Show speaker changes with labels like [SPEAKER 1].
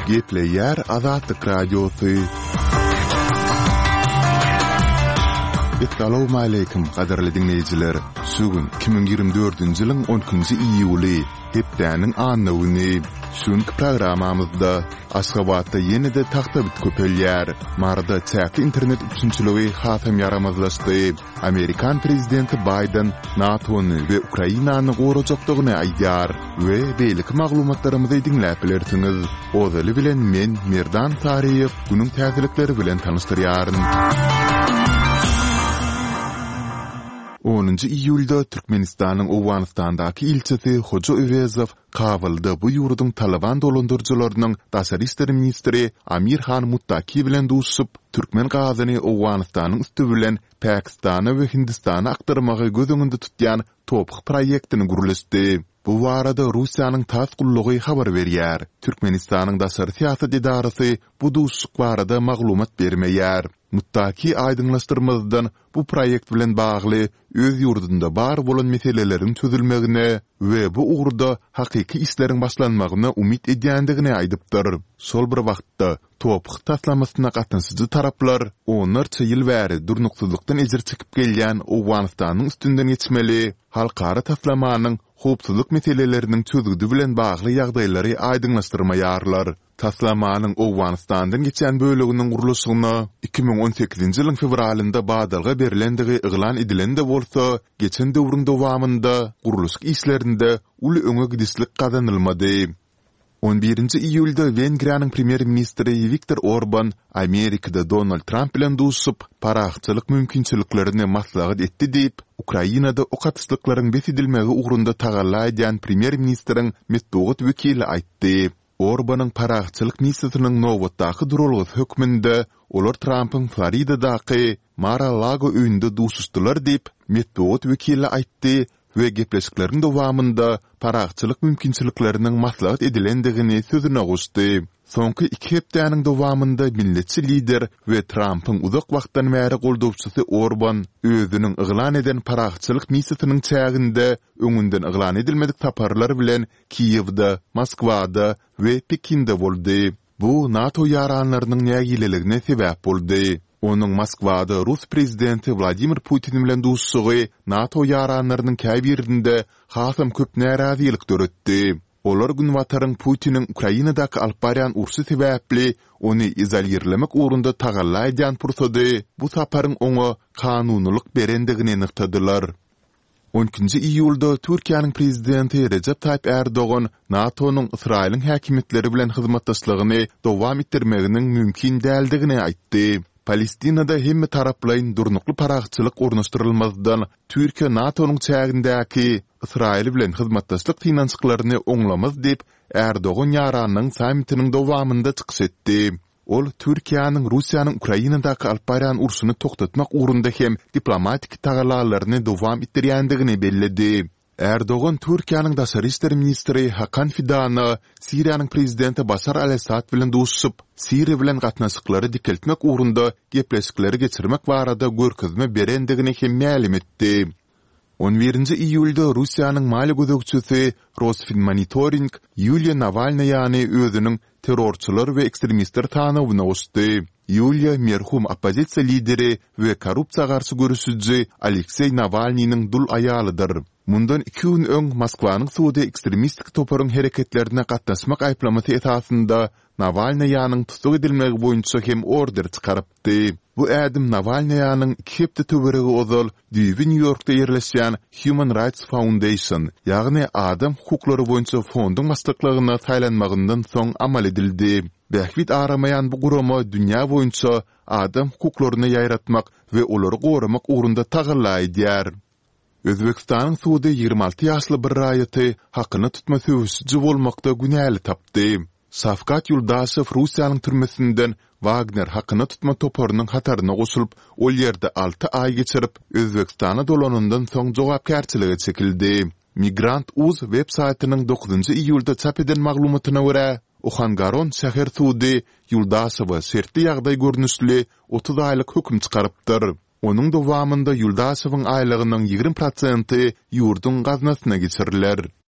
[SPEAKER 1] Gepleýär Azatlyk Radiosy. Essalawmaleýkim, gadyrly diňleýjiler! Şu gün 2024-nji ýylyň on ikinji iýuly, hepdäniň anna güni. Şu günki programmamyzda Aşgabatda ýene-de tagtabit köpelýär. Maryda çäkli internet üpjünçiligi hasam ýaramazlaşdy. Amerikan prezidenti Baýden NATO-ny we Ukrainany gorajakdygyny aýdýar we beýleki maglumatlarymyzy diňläp bilersiňiz. Ozaly bilen men, Merdan Saryýew, günüň täzelikleri bilen tanyşdyrýaryn. Onunjy iýulda Türkmenistanyň Owganystandaky ilçisi Hoja Öwezow Kabulda bu ýurduň Talyban dolandyryjylarynyň daşary işler ministri Amir Han Muttaki bilen duşuşyp, türkmen gazyny Owganystanyň üsti bilen Pakistana we Hindistana akdyrmagy göz öňünde tutýan TOPH proýektini gürleşdi. Bu barada Russiýanyň tass gullugy habar berýär. Türkmenistanyň daşary syýasat edarasy bu duşuşyk barada maglumat bermeýär. Muttaki aýdyňlaşdyrmazdan bu proýekt bilen bagly öz ýurdunda bar bolan meseleleriň çözülmegine we bu ugurda hakyky işleriň başlanmagyna umyt edýändigini aýdypdyr. Şol bir wagtda, TOPH taslamasyna gatnaşyjy taraplar onlarça ýyl bäri durnuksyzlykdan ejir çekip gelýän Owganystanyň üstünden geçmeli halkara taslamanyň howpsuzlyk meseleleriniň çözgüdi bilen bagly ýagdaýlary aýdyňlaşdyrmaýarlar. Taslamanyň Owganystandan geçýän böleginiň gurluşygyna 2018-nji ýylyň fewralynda badalga berlendigi yglan edilen-de bolsa, geçen döwrüň dowamynda gurluşyk işlerinde uly öňe gidişlik gazanylmady. On birinji iýulda Wengriýanyň premýer-ministri Wiktor Orban Amerikada Donald Tramp bilen duşuşyp, parahatçylyk mümkinçiliklerini maslahat etdi diýip, Ukrainada ok atyşlyklaryň bes edilmegi ugrunda tagalla edýän premýer-ministriň metbugat wekili aýtdy. Orbanyň parahatçylyk missiýasynyň nobatdaky duralgasy hökmünde olar Trampyň Floridadaky Mar-a-Lago öýünde duşuşdylar diýip, metbugat wekili aýtdy we gepleşikleriň dowamynda parahatçylyk mümkinçilikleriniň maslahat edilendigini sözüne goşdy. Soňky iki hepdäniň dowamynda milletçi lider we Trampyň uzak wagtdan bäri goldawçysy Orban özüniň yglan eden parahatçylyk missiýasynyň çäginde öňünden yglan edilmedik saparlar bilen Kiýewde, Moskwada we Pekinde boldy. Bu NATO ýaranlarynyň nägileligine sebäp boldy. Onuň Moskwada rus prezidenti Wladimir Putin bilen duşuşygy NATO ýaranlarynyň käbirinde hasam köp närazylyk döretdi. Olar Günbataryň Putiniň Ukrainadaky alyp barýan urşy sebäpli ony izolirlemek ugrunda tagalla edýän pursady bu saparyň oňa kanunylyk berendigini nygtadylar. On ikinji iýulda Türkiýäniň Prezidenti Rejep Taýyp Ärdogan NATO-nyň Ysraýylyň häkimiýetleri bilen hyzmatdaşlygyny dowam etdirmeginiň mümkin däldigini aýtdy. Palestinada hemmetaraplaýyn durnukly parahatçylyk ornaşdyrylmazdan, Türkiýe NATO-nyň çägindäki Ysraýyl bilen hyzmatdaşlyk synanyşyklaryny oňlamaz diýip, Ärdogan ýaranlygyň sammitiniň dowamynda çykyş etdi. Ol Türkiýäniň Russiýanyň Ukrainadaky alyp barýan urşuny togtatmak ugrunda hem diplomatik tagallalaryny dowam etdirýändigini belledi. Ärdogan Türkiýäniň daşary işler ministri Hakan Fidana Siriýanyň prezidenti Başar al-Assad bilen duşuşyp, Siriýa bilen gatnaşyklary dikeltmek ugrunda gepleşikleri geçirmek barada görkezme berendigini hem mälim etdi. On birinji iýulda Russiýanyň maliýe gözegçisi Rosfinmonitoring Ýuliýa Nawalnaýany özüniň terrorçylar we ekstremistler sanawyna goşdy. Ýuliýa merhum oppozisiýa lideri we korrupsiýa garşy göreşiji Alekseý Nawalnynyň dul aýalydyr. Mundan iki gün öň Moskwanyň sudy ekstremistik toparyň hereketlerine gatnaşmak aýyplamasy esasynda Nawalnaýanyň tussag edilmegi boýunça hem order çykarypdy. Bu ädim Nawalnaýanyň iki hepde töweregi ozal düýbi Nýu-Ýorkda ýerleşýän Human Rights Foundation, ýagny Adam hukuklary boýunça fonduň başlyklygyna saýlanmagyndan soň amal edildi. Bähbit aramaýan bu gurama dünýä boýunça adam hukuklaryny ýaýratmak we olary goramak ugrunda tagalla edýär. Özbegistanyň sudy 26 ýaşly bir raýaty hakyna tutma söweşiji bolmakda günäli tapdy. Şawkat Ýuldaşew Russiýanyň türmesinden Wagner hakyna tutma toparynyň hataryna goşulyp, ol ýerde alty aý geçirip, Özbegistana dolanandan soň jogapkärçilige çekildi. Migrant. Uz web saýtynyň dokuzynjy iýulda çap eden maglumatyna görä, Ohangaron şäher sudy Ýuldaşewe şertli ýagdaý görnüşli 30 aýlyk höküm çykarypdyr. Onuň dowamynda Ýuldaşewiň aýlygynyň 20 prosenti ýurduň gaznasyna geçiriler.